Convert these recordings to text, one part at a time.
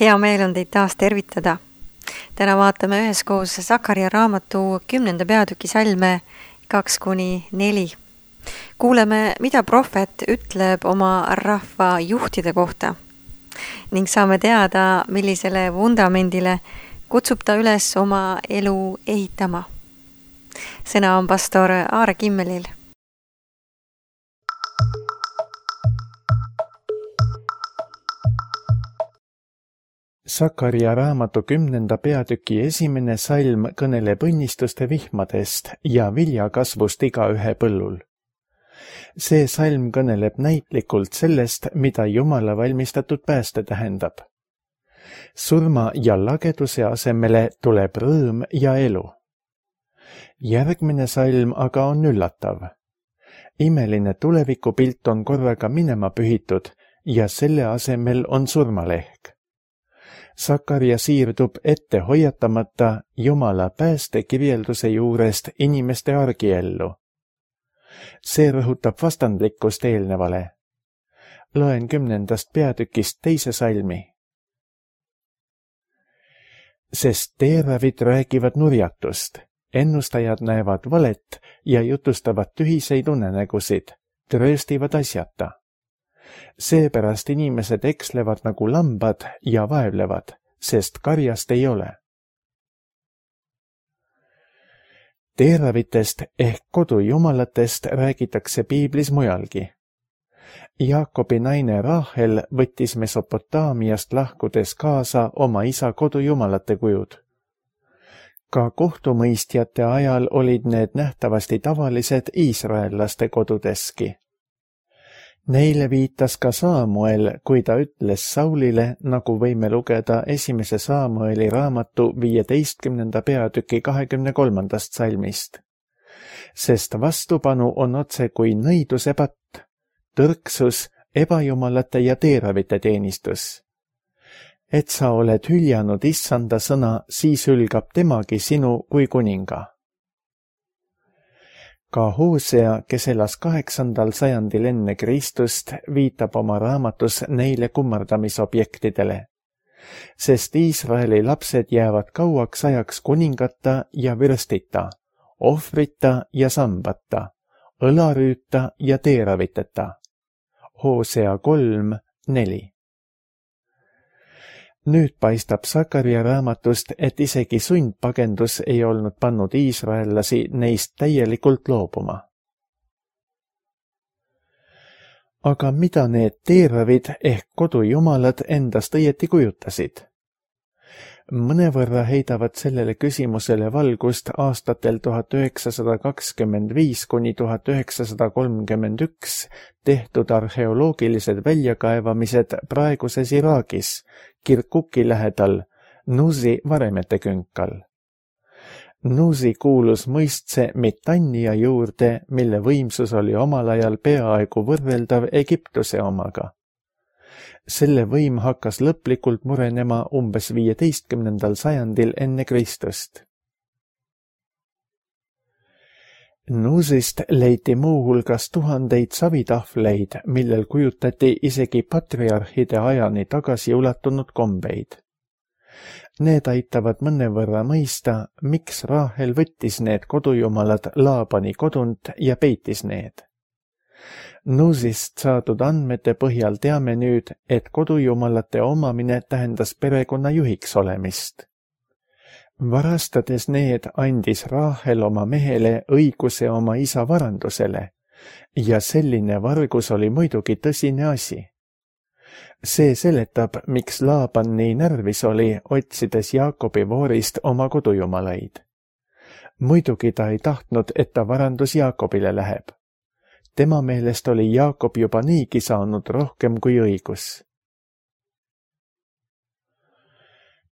Hea meel on teid taas tervitada. Täna vaatame üheskoos Sakaria raamatu 10. peatüki salme 2-4. Kuuleme, mida prohvet ütleb oma rahva juhtide kohta ning saame teada, millisele vundamendile kutsub ta üles oma elu ehitama. Sõna on pastor Aare Kimmelil. Sakaria raamatu 10. peatüki 1. salm kõneleb õnnistuste vihmadest ja viljakasvust igaühe põllul. See salm kõneleb näitlikult sellest, mida Jumala valmistatud pääste tähendab. Surma ja lageduse asemele tuleb rõõm ja elu. Järgmine salm aga on üllatav. Imeline tulevikupilt on korraga minema pühitud ja selle asemel on surmalehk. Sakaria siirdub ette hoiatamata Jumala päästekirjelduse juurest inimeste argiellu. See rõhutab vastandlikkust eelnevale. Loen 10. peatükist 2. salmi. Sest teeravid räägivad nurjatust, ennustajad näevad valet ja jutustavad tühiseid unenägusid, trööstivad asjata. Seepärast inimesed ekslevad nagu lambad ja vaevlevad, sest karjast ei ole. Teeravitest ehk kodujumalatest räägitakse piiblis mujalgi. Jaakobi naine Rahel võttis Mesopotaamiast lahkudes kaasa oma isa kodujumalate kujud. Ka kohtumõistjate ajal olid need nähtavasti tavalised iisraellaste kodudeski. Neile viitas ka Saamuel, kui ta ütles Saulile, nagu võime lugeda 1. Saamueli raamatu 15. peatüki 23. salmist. Sest vastupanu on otse kui nõiduse patt, tõrksus, ebajumalate ja teeravite teenistus. Et sa oled hüljanud issanda sõna, siis hülgab temagi sinu kui kuninga. Ka Hosea, kes elas 8. sajandil enne Kristust, viitab oma raamatus neile kummardamisobjektidele. Sest Iisraeli lapsed jäävad kauaks ajaks kuningata ja vürstita, ohvrita ja sambata, õlarüüta ja teeraviteta. Hosea 3:4. Nüüd paistab Sakaria raamatust, et isegi sundpagendus ei olnud pannud iisraellasi neist täielikult loobuma. Aga mida need teeravid ehk kodujumalad endast õieti kujutasid? Mõnevõrra heidavad sellele küsimusele valgust aastatel 1925–1931 tehtud arheoloogilised väljakaevamised praeguses Iraagis, Kirkuki lähedal, Nuzi varemete künkal. Nuzi kuulus mõistse Mitania juurde, mille võimsus oli omal ajal peaaegu võrreldav Egiptuse omaga. Selle võim hakkas lõplikult murenema umbes 15. sajandil enne Kristust. Nuzist leiti muuhulgas tuhandeid savitahvleid, millel kujutati isegi patriarhide ajani tagasi ulatunud kombeid. Need aitavad mõnevõrra mõista, miks Rahel võttis need kodujumalad Laabani kodunt ja peitis need. Nuzist saadud andmete põhjal teame nüüd, et kodujumalate omamine tähendas perekonna juhiks olemist. Varastades need andis Rahel oma mehele õiguse oma isa varandusele ja selline vargus oli muidugi tõsine asi. See seletab, miks Laaban nii närvis oli, otsides Jaakobi voorist oma kodujumalaid. Muidugi ta ei tahtnud, et ta varandus Jaakobile läheb. Tema meelest oli Jaakob juba niigi saanud rohkem kui õigus.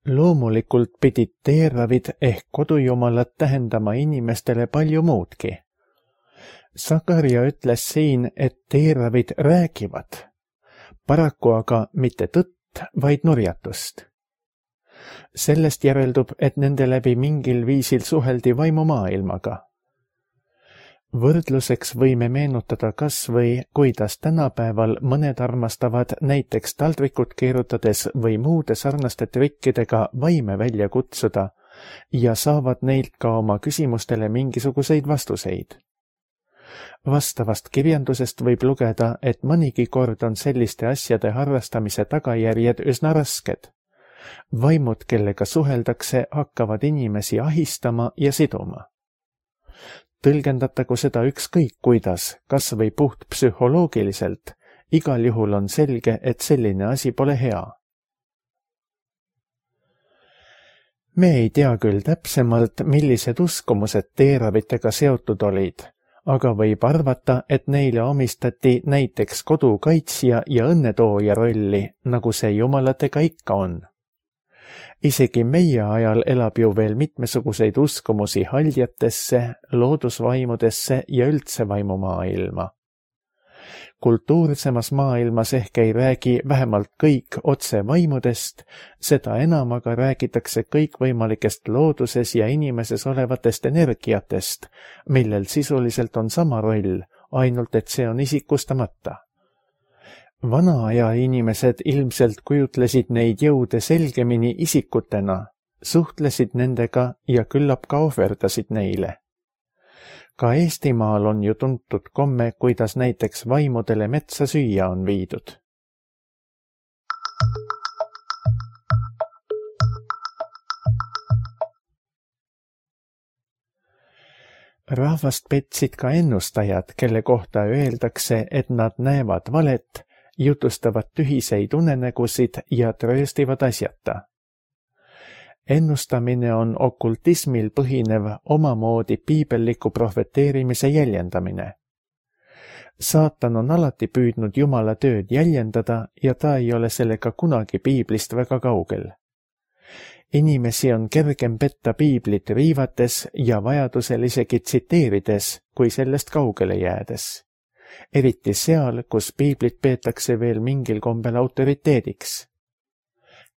Loomulikult pidid teeravid ehk kodujumalad tähendama inimestele palju muudki. Sakaria ütles siin, et teeravid räägivad, paraku aga mitte tõtt, vaid nurjatust. Sellest järeldub, et nende läbi mingil viisil suheldi vaimumaailmaga. Võrdluseks võime meenutada kas või, kuidas tänapäeval mõned armastavad näiteks taldrikut keerutades või muude sarnaste trikkidega vaime välja kutsuda ja saavad neilt ka oma küsimustele mingisuguseid vastuseid. Vastavast kirjandusest võib lugeda, et mõnigi kord on selliste asjade harrastamise tagajärjed üsna rasked. Vaimud, kellega suheldakse, hakkavad inimesi ahistama ja siduma. Tõlgendatagu seda ükskõik kuidas, kas või puht psühholoogiliselt, igal juhul on selge, et selline asi pole hea. Me ei tea küll täpsemalt, millised uskumused teeravitega seotud olid, aga võib arvata, et neile omistati näiteks kodukaitsja ja õnnetooja rolli, nagu see jumalatega ikka on. Isegi meie ajal elab ju veel mitmesuguseid uskumusi haljatesse, loodusvaimudesse ja üldse vaimumaailma. Kultuursemas maailmas ehk ei räägi vähemalt kõik otse vaimudest, seda enam aga räägitakse kõikvõimalikest looduses ja inimeses olevatest energiatest, millel sisuliselt on sama roll, ainult et see on isikustamata. Vana aja inimesed ilmselt kujutlesid neid jõude selgemini isikutena, suhtlesid nendega ja küllap ka ohverdasid neile. Ka Eestimaal on ju tuntud komme, kuidas näiteks vaimudele metsa süüa on viidud. Rahvast petsid ka ennustajad, kelle kohta öeldakse, et nad näevad valet, jutustavad tühiseid unenägusid ja trööstivad asjata. Ennustamine on okultismil põhinev omamoodi piibelliku prohveteerimise jäljendamine. Saatan on alati püüdnud Jumala tööd jäljendada ja ta ei ole sellega kunagi piiblist väga kaugel. Inimesi on kergem petta piiblit riivates ja vajadusel isegi tsiteerides, kui sellest kaugele jäädes. Eriti seal, kus piiblit peetakse veel mingil kombel autoriteediks.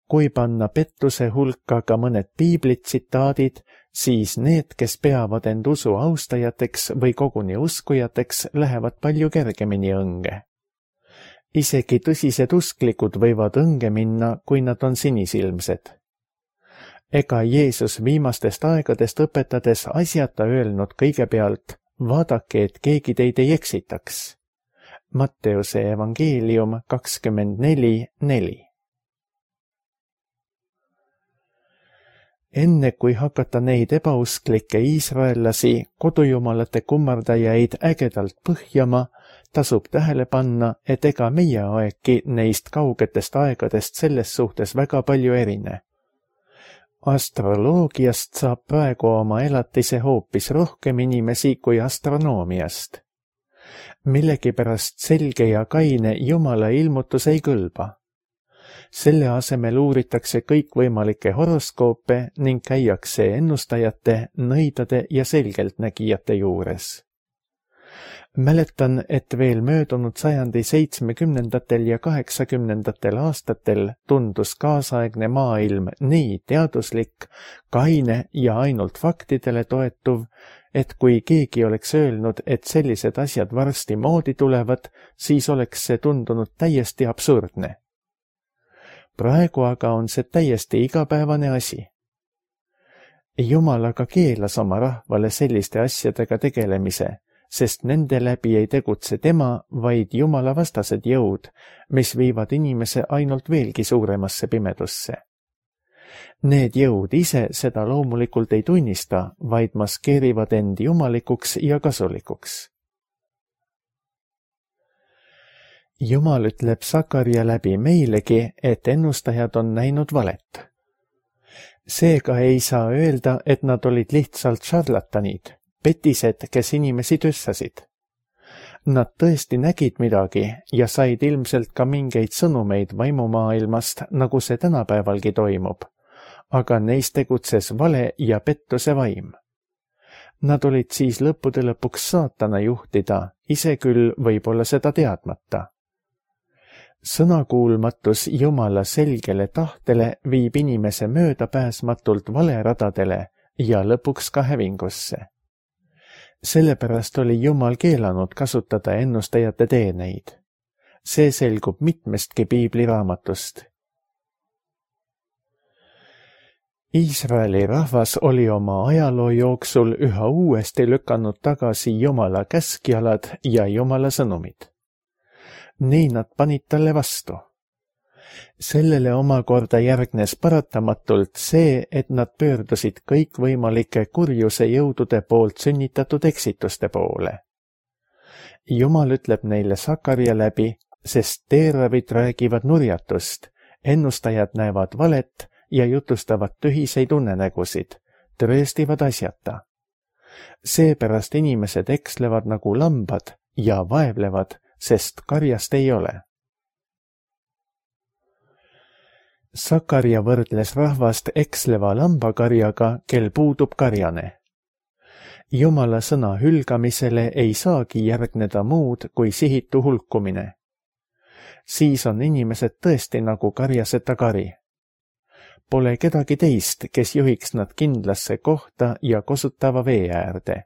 Kui panna pettuse hulka ka mõned piiblitsitaadid, siis need, kes peavad end usu austajateks või koguni uskujateks, lähevad palju kergemini õnge. Isegi tõsised usklikud võivad õnge minna, kui nad on sinisilmsed. Ega Jeesus viimastest aegadest õpetades asjata öelnud kõigepealt, vaadake, et keegi teid ei eksitaks. Matteuse evangeelium 24:4. Enne kui hakata neid ebausklikke iisraellasi, kodujumalate kummardajaid ägedalt põhjama, tasub tähele panna, et ega meie aegki neist kaugetest aegadest selles suhtes väga palju erine. Astroloogiast saab praegu oma elatise hoopis rohkem inimesi kui astronoomiast. Millegipärast selge ja kaine Jumala ilmutus ei kõlba. Selle asemel uuritakse kõikvõimalikke horoskoope ning käiakse ennustajate, nõidade ja selgeltnägijate juures. Mäletan, et veel möödunud sajandi 70. ja 80. aastatel tundus kaasaegne maailm nii teaduslik, kaine ja ainult faktidele toetuv, et kui keegi oleks öelnud, et sellised asjad varsti moodi tulevad, siis oleks see tundunud täiesti absurdne. Praegu aga on see täiesti igapäevane asi. Jumal aga keelas oma rahvale selliste asjadega tegelemise, sest nende läbi ei tegutse tema, vaid Jumala vastased jõud, mis viivad inimese ainult veelgi suuremasse pimedusse. Need jõud ise seda loomulikult ei tunnista, vaid maskeerivad end jumalikuks ja kasulikuks. Jumal ütleb Sakarja läbi meilegi, et ennustajad on näinud valet. Seega ei saa öelda, et nad olid lihtsalt šarlatanid, petised, kes inimesi tüssasid. Nad tõesti nägid midagi ja said ilmselt ka mingeid sõnumeid vaimumaailmast, nagu see tänapäevalgi toimub, aga neis tegutses vale ja pettuse vaim. Nad olid siis lõppude lõpuks saatana juhtida, ise küll võib-olla seda teadmata. Sõnakuulmatus Jumala selgele tahtele viib inimese möödapääsmatult valeradadele ja lõpuks ka hävingusse. Sellepärast oli Jumal keelanud kasutada ennustajate teeneid. See selgub mitmestki piibliraamatust. Iisraeli rahvas oli oma ajaloo jooksul üha uuesti lükanud tagasi Jumala käskjalad ja Jumala sõnumid. Nii nad panid talle vastu. Sellele omakorda järgnes paratamatult see, et nad pöördusid kõikvõimalike kurjuse jõudude poolt sünnitatud eksituste poole. Jumal ütleb neile Sakarja läbi, sest teeravid räägivad nurjatust, ennustajad näevad valet ja jutustavad tühiseid unenägusid, tõestivad asjata. Seepärast inimesed ekslevad nagu lambad ja vaevlevad, sest karjast ei ole. Sakarja võrdles rahvast eksleva lambakarjaga, kel puudub karjane. Jumala sõna hülgamisele ei saagi järgneda muud kui sihitu hulkumine. Siis on inimesed tõesti nagu karjaseta kari. Pole kedagi teist, kes juhiks nad kindlasse kohta ja kosutava vee äärde.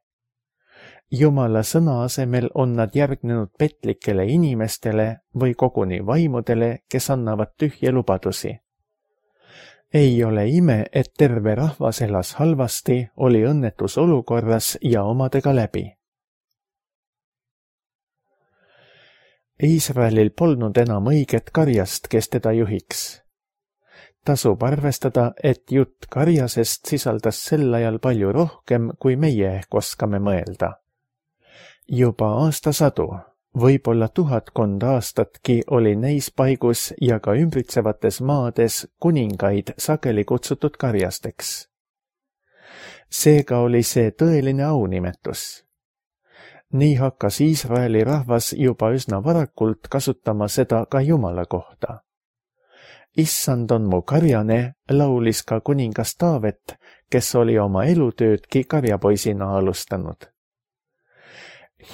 Jumala sõna asemel on nad järgnenud petlikele inimestele või koguni vaimudele, kes annavad tühje lubadusi. Ei ole ime, et terve rahvas elas halvasti, oli õnnetus olukorras ja omadega läbi. Iisraelil polnud enam õiget karjast, kes teda juhiks. Tasub arvestada, et jutt karjasest sisaldas sel ajal palju rohkem, kui meie ehk oskame mõelda. Juba aastasadu, võib-olla 1000 aastatki oli neis paigus ja ka ümbritsevates maades kuningaid sageli kutsutud karjasteks. Seega oli see tõeline aunimetus. Nii hakkas Iisraeli rahvas juba üsna varakult kasutama seda ka Jumala kohta. Issand on mu karjane, laulis ka kuningas Taavet, kes oli oma elutöödki karjapoisina alustanud.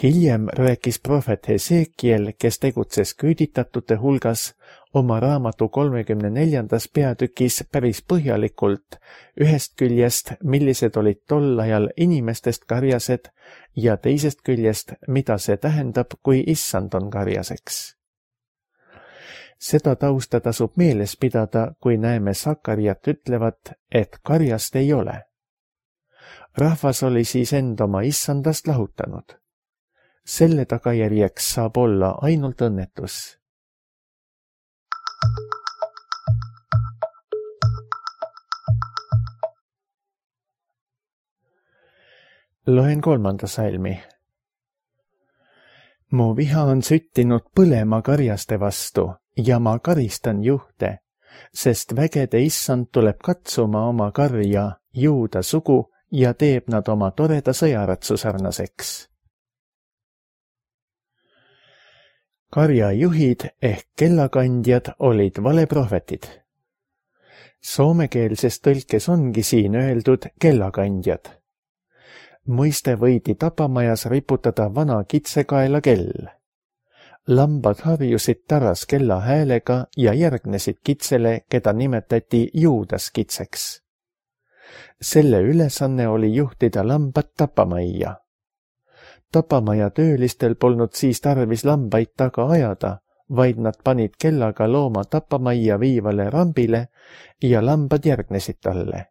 Hiljem rääkis prohvet Hesekiel, kes tegutses küüditatute hulgas, oma raamatu 34. peatükis päris põhjalikult ühest küljest, millised olid tol ajal inimestest karjased ja teisest küljest, mida see tähendab, kui issand on karjaseks. Seda tausta tasub meeles pidada, kui näeme Sakarjat ütlevat, et karjast ei ole. Rahvas oli siis end oma issandast lahutanud. Selle tagajärjeks saab olla ainult õnnetus. Loen 3. salmi. Mu viha on süttinud põlema karjaste vastu ja ma karistan juhte, sest vägede issand tuleb katsuma oma karja, Juuda sugu ja teeb nad oma toreda sõjaratsu sarnaseks. Karjajuhid ehk kellakandjad olid valeprohvetid. Soomekeelses tõlkes ongi siin öeldud kellakandjad. Mõiste võidi tapamajas riputada vana kitsekaela kell. Lambad harjusid taras kella häälega ja järgnesid kitsele, keda nimetati Juudas kitseks. Selle ülesanne oli juhtida lambad tapamajja. Tapamaja töölistel polnud siis tarvis lambaid taga ajada, vaid nad panid kellaga looma tapamajja viivale rambile ja lambad järgnesid talle.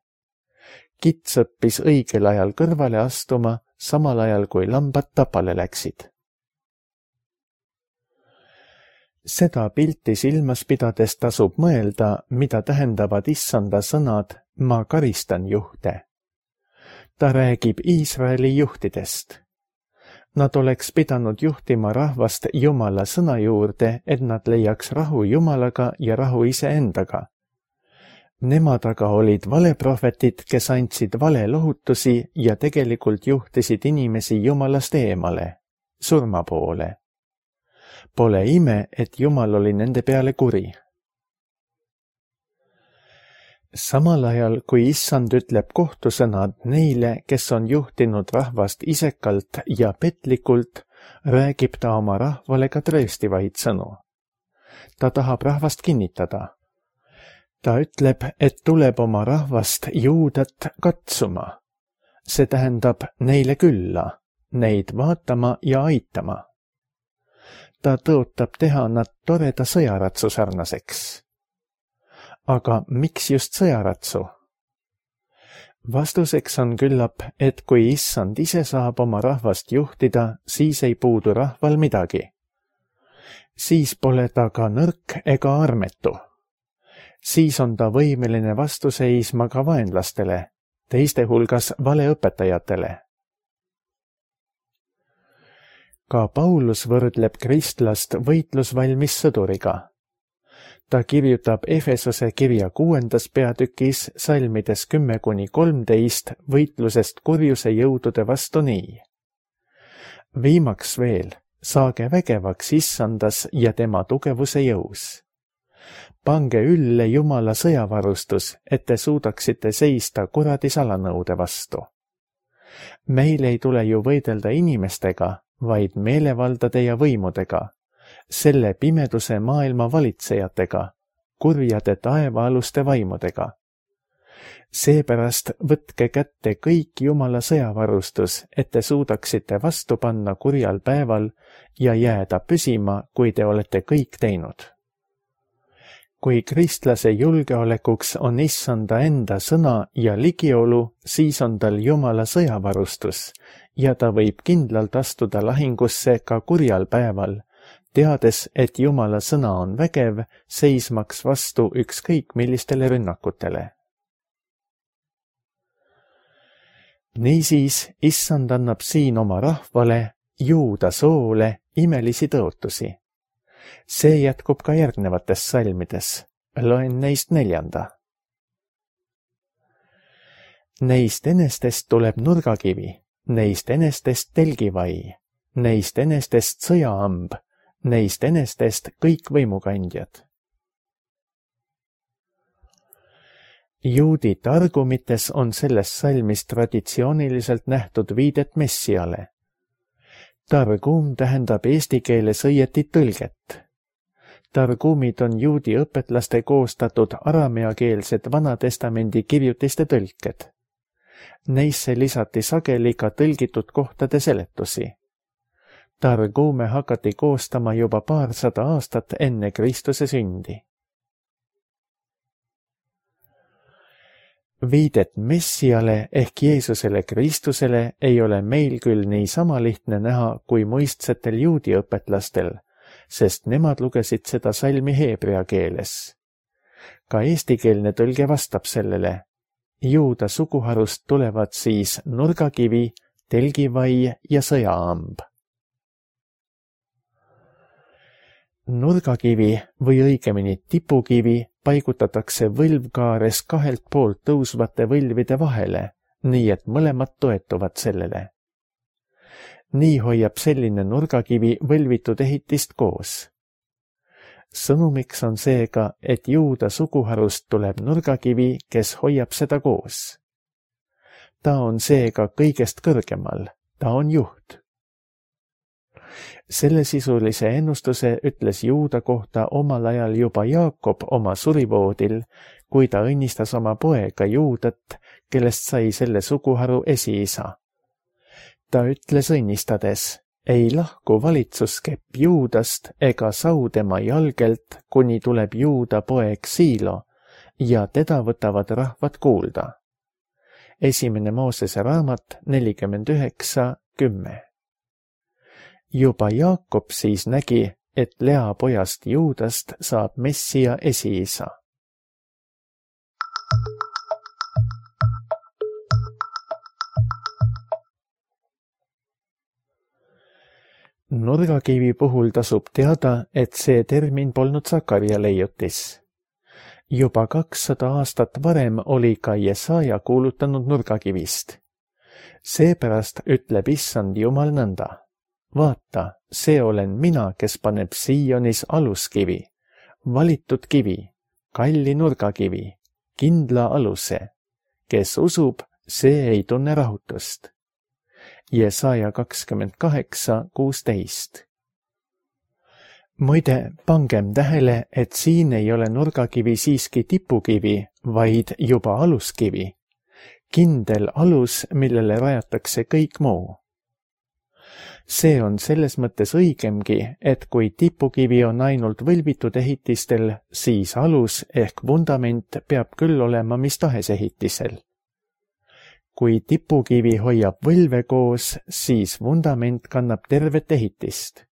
Kits õppis õigel ajal kõrvale astuma, samal ajal kui lambad tapale läksid. Seda pilti silmas pidades tasub mõelda, mida tähendavad issanda sõnad "ma karistan juhte". Ta räägib Iisraeli juhtidest. Nad oleks pidanud juhtima rahvast Jumala sõna juurde, et nad leiaks rahu Jumalaga ja rahu iseendaga. Nemad aga olid valeprohvetid, kes andsid vale lohutusi ja tegelikult juhtisid inimesi Jumalast eemale, surma poole. Pole ime, et Jumal oli nende peale kuri. Samal ajal, kui issand ütleb kohtusõnad neile, kes on juhtinud rahvast isekalt ja petlikult, räägib ta oma rahvale ka trööstivaid sõnu. Ta tahab rahvast kinnitada. Ta ütleb, et tuleb oma rahvast Juudat katsuma. See tähendab neile külla, neid vaatama ja aitama. Ta tõotab teha nad toreda sõjaratsu sarnaseks. Aga miks just sõjaratsu? Vastuseks on küllap, et kui issand ise saab oma rahvast juhtida, siis ei puudu rahval midagi. Siis pole ta ka nõrk ega armetu. Siis on ta võimeline vastu seisma ka vaenlastele, teiste hulgas valeõpetajatele. Ka Paulus võrdleb kristlast võitlusvalmis sõduriga. Ta kirjutab Efesose kirja 6. peatükis salmides 10-13 võitlusest kurjuse jõudude vastu nii. Viimaks veel, saage vägevaks issandas ja tema tugevuse jõus. Pange ülle Jumala sõjavarustus, et te suudaksite seista kuradi salanõude vastu. Meil ei tule ju võidelda inimestega, vaid meelevaldade ja võimudega, selle pimeduse maailma valitsejatega, kurjade taevaaluste vaimudega. Seepärast võtke kätte kõik Jumala sõjavarustus, et te suudaksite vastu panna kurjal päeval ja jääda püsima, kui te olete kõik teinud. Kui kristlase julgeolekuks on issanda enda sõna ja ligiolu, siis on tal Jumala sõjavarustus ja ta võib kindlalt astuda lahingusse ka kurjal päeval, teades, et Jumala sõna on vägev, seismaks vastu ükskõik millistele rünnakutele. Niisiis, issand annab siin oma rahvale, juuda soole, imelisi tõotusi. See jätkub ka järgnevates salmides. Loen neist 4. Neist enestest tuleb nurgakivi, neist enestest telgivai, neist enestest sõjaamb, neist enestest kõik võimukandjad. Juudi targumites on selles salmis traditsiooniliselt nähtud viidet Messiale. Targum tähendab eesti keeles õieti tõlget. Targumid on juudi õpetlaste koostatud arameakeelsed Vanatestamendi kirjutiste tõlked. Neisse lisati sageli ka tõlgitud kohtade seletusi. Targume hakati koostama juba 200 aastat enne Kristuse sündi. Viidet Messiale ehk Jeesusele Kristusele ei ole meil küll nii sama lihtne näha kui muistsetel juudi õpetlastel, sest nemad lugesid seda salmi heebrea keeles. Ka eestikeelne tõlge vastab sellele. Juuda suguharust tulevad siis nurgakivi, telgivai ja sõjaamb. Nurgakivi või õigemini tipukivi paigutatakse võlvkaares 2 poolt tõusvate võlvide vahele, nii et mõlemad toetuvad sellele. Nii hoiab selline nurgakivi võlvitud ehitist koos. Sõnumiks on seega, et juuda suguharust tuleb nurgakivi, kes hoiab seda koos. Ta on seega kõigest kõrgemal, ta on juht. Sellesisulise ennustuse ütles juuda kohta omal ajal juba Jaakob oma surivoodil, kui ta õnnistas oma poega Juudat, kellest sai selle suguharu esiisa. Ta ütles õnnistades, ei lahku valitsuskepp Juudast ega sau tema jalgelt, kuni tuleb Juuda poeg Siilo ja teda võtavad rahvad kuulda. 1. Moosese raamat 49:10. Juba Jaakob siis nägi, et Lea pojast Juudast saab Messia esiisa. Nurgakivi puhul tasub teada, et see termin polnud Sakarja leiutis. Juba 200 aastat varem oli ka Jesaja kuulutanud nurgakivist. Seepärast ütleb issand Jumal nõnda. Vaata, see olen mina, kes paneb Sionis aluskivi, valitud kivi, kalli nurgakivi, kindla aluse. Kes usub, see ei tunne rahutust. Jesaja 28:16. Muide, pangem tähele, et siin ei ole nurgakivi siiski tipukivi, vaid juba aluskivi. Kindel alus, millele rajatakse kõik muu. see on selles mõttes õigemgi, et kui tipukivi on ainult võlbitud ehitistel, siis alus ehk vundament peab küll olema mis tahes ehitisel. Kui tipukivi hoiab võlve koos, siis vundament kannab tervet ehitist.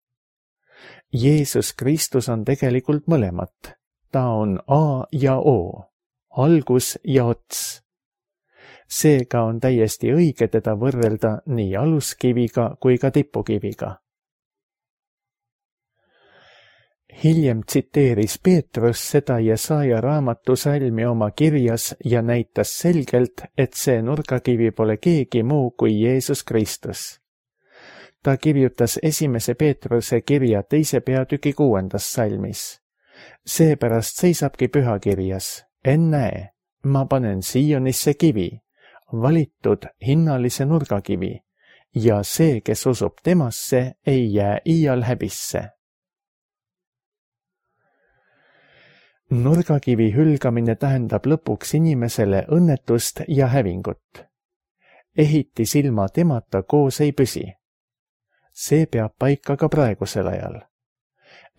Jeesus Kristus on tegelikult mõlemat. Ta on A ja O, algus ja ots. Seega on täiesti õige teda võrrelda nii aluskiviga kui ka tipukiviga. Hiljem tsiteeris Peetrus seda Jesaja raamatu salmi oma kirjas ja näitas selgelt, et see nurgakivi pole keegi muu kui Jeesus Kristus. Ta kirjutas 1. Peetruse kirja 2. peatüki 6. salmis. Seepärast seisabki pühakirjas, ennäe, ma panen Siionisse kivi, valitud hinnalise nurgakivi, ja see, kes usub temasse, ei jää iial häbisse. Nurgakivi hülgamine tähendab lõpuks inimesele õnnetust ja hävingut. Ehitis ilma temata koos ei püsi. See peab paika ka praegusel ajal.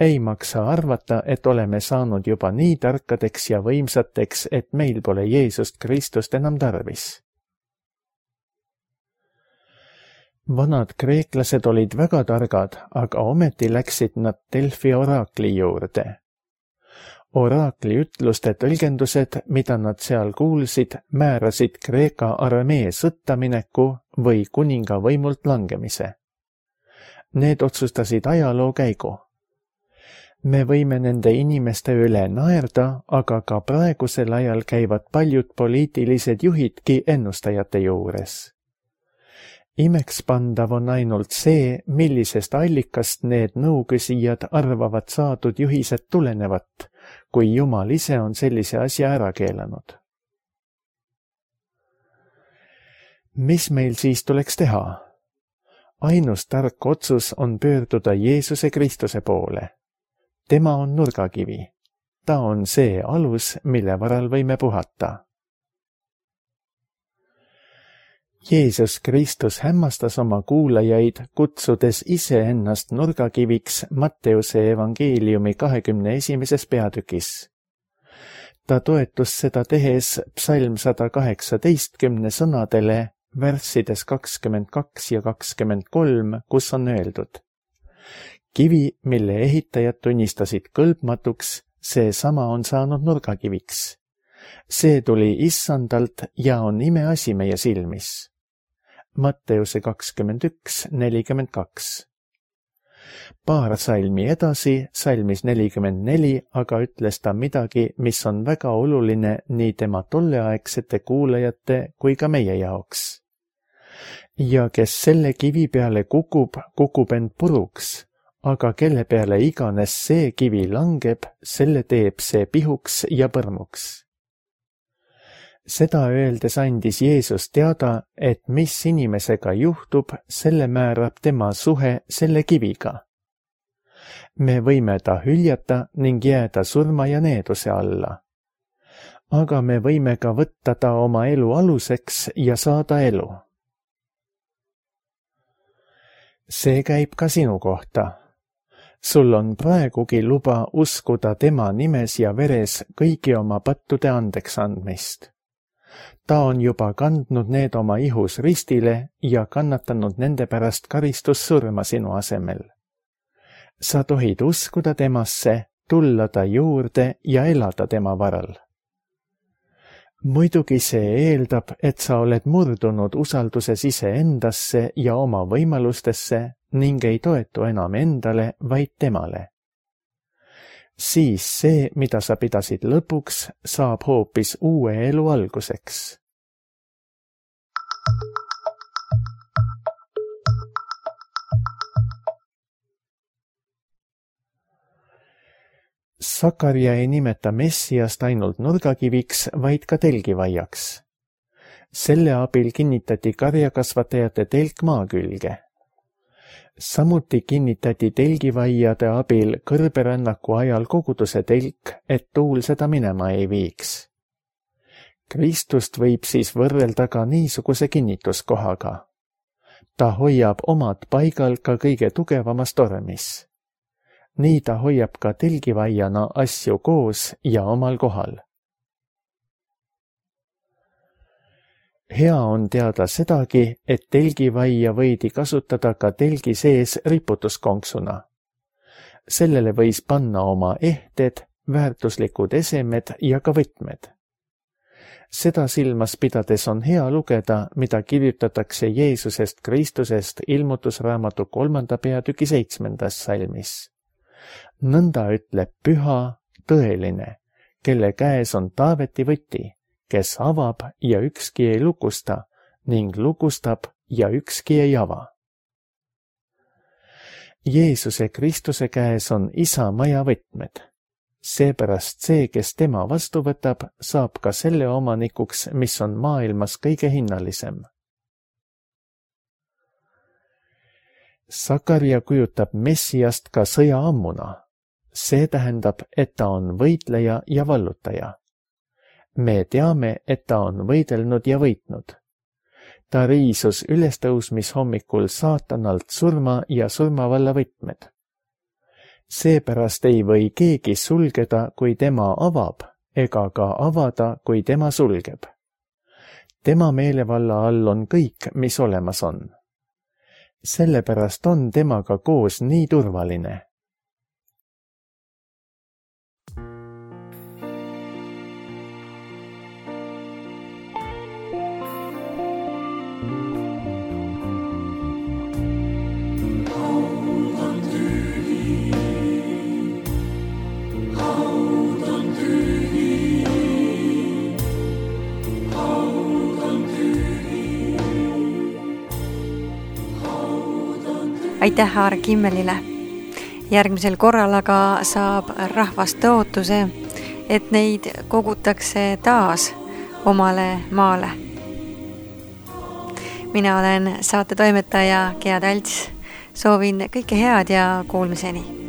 Ei maksa arvata, et oleme saanud juba nii tarkadeks ja võimsateks, et meil pole Jeesust Kristust enam tarvis. Vanad kreeklased olid väga targad, aga ometi läksid nad Delfi oraakli juurde. Oraakli ütluste tõlgendused, mida nad seal kuulsid, määrasid Kreeka armee sõtta mineku või kuninga võimult langemise. Need otsustasid ajaloo käigu. Me võime nende inimeste üle naerda, aga ka praegusel ajal käivad paljud poliitilised juhidki ennustajate juures. Imekspandav on ainult see, millisest allikast need nõuküsijad arvavad saadud juhised tulenevat, kui Jumal ise on sellise asja ära keelanud. Mis meil siis tuleks teha? Ainus tark otsus on pöörduda Jeesuse Kristuse poole. Tema on nurgakivi. Ta on see alus, mille varal võime puhata. Jeesus Kristus hämmastas oma kuulajaid, kutsudes ise ennast nurgakiviks Matteuse evangeeliumi 21. peatükis. Ta toetus seda tehes psalm 118 sõnadele, värssides 22 ja 23, kus on öeldud: kivi, mille ehitajad tunnistasid kõlbmatuks, seesama on saanud nurgakiviks. See tuli issandalt ja on imeasi meie silmis. Matteuse 21:42. Paar salmi edasi, salmis 44, aga ütles ta midagi, mis on väga oluline nii tema tolleaegsete kuulajate kui ka meie jaoks. Ja kes selle kivi peale kukub, kukub end puruks, aga kelle peale iganes see kivi langeb, selle teeb see pihuks ja põrmuks. Seda öeldes andis Jeesus teada, et mis inimesega juhtub, selle määrab tema suhe selle kiviga. Me võime ta hüljata ning jääda surma ja needuse alla. Aga me võime ka võtta ta oma elu aluseks ja saada elu. See käib ka sinu kohta. Sul on praegugi luba uskuda tema nimes ja veres kõigi oma pattude andeks andmist. Ta on juba kandnud need oma ihus ristile ja kannatanud nende pärast karistussurma sinu asemel. Sa tohid uskuda temasse, tulla ta juurde ja elada tema varal. Muidugi see eeldab, et sa oled murdunud usalduses iseendasse ja oma võimalustesse ning ei toetu enam endale, vaid temale. Siis see, mida sa pidasid lõpuks, saab hoopis uue elu alguseks. Sakarja ei nimeta Messiast ainult nurgakiviks, vaid ka telgivaiaks. Selle abil kinnitati karjakasvatajate telk maa külge. Samuti kinnitati telgivaiade abil kõrberännaku ajal koguduse telk, et tuul seda minema ei viiks. Kristust võib siis võrrelda ka niisuguse kinnituskohaga. Ta hoiab omad paigal ka kõige tugevamas tormis. Nii ta hoiab ka telgivaiana asju koos ja omal kohal. Hea on teada sedagi, et telgivaia võidi kasutada ka telgi sees riputuskonksuna. Sellele võis panna oma ehted, väärtuslikud esemed ja ka võtmed. Seda silmas pidades on hea lugeda, mida kirjutatakse Jeesusest Kristusest ilmutusraamatu 3. peatüki 7. salmis. Nõnda ütleb püha, tõeline, kelle käes on Taaveti võti, kes avab ja ükski ei lukusta ning lukustab ja ükski ei ava. Jeesuse Kristuse käes on Isa maja võtmed. Seepärast see, kes tema vastu võtab, saab ka selle omanikuks, mis on maailmas kõige hinnalisem. Sakaria kujutab Messiast ka sõjaammuna. See tähendab, et ta on võitleja ja vallutaja. Me teame, et ta on võidelnud ja võitnud. Ta riisus ülestõusmishommikul saatanalt surma ja surmavalla võtmed. Seepärast ei või keegi sulgeda, kui tema avab, ega ka avada, kui tema sulgeb. Tema meelevalla all on kõik, mis olemas on. Sellepärast on temaga koos nii turvaline. Aitäh Aar Kimmelile. Järgmisel korral aga saab rahvast tõotuse, et neid kogutakse taas omale maale. Mina olen saate toimetaja Gea Talts. Soovin kõike head ja kuulmiseni.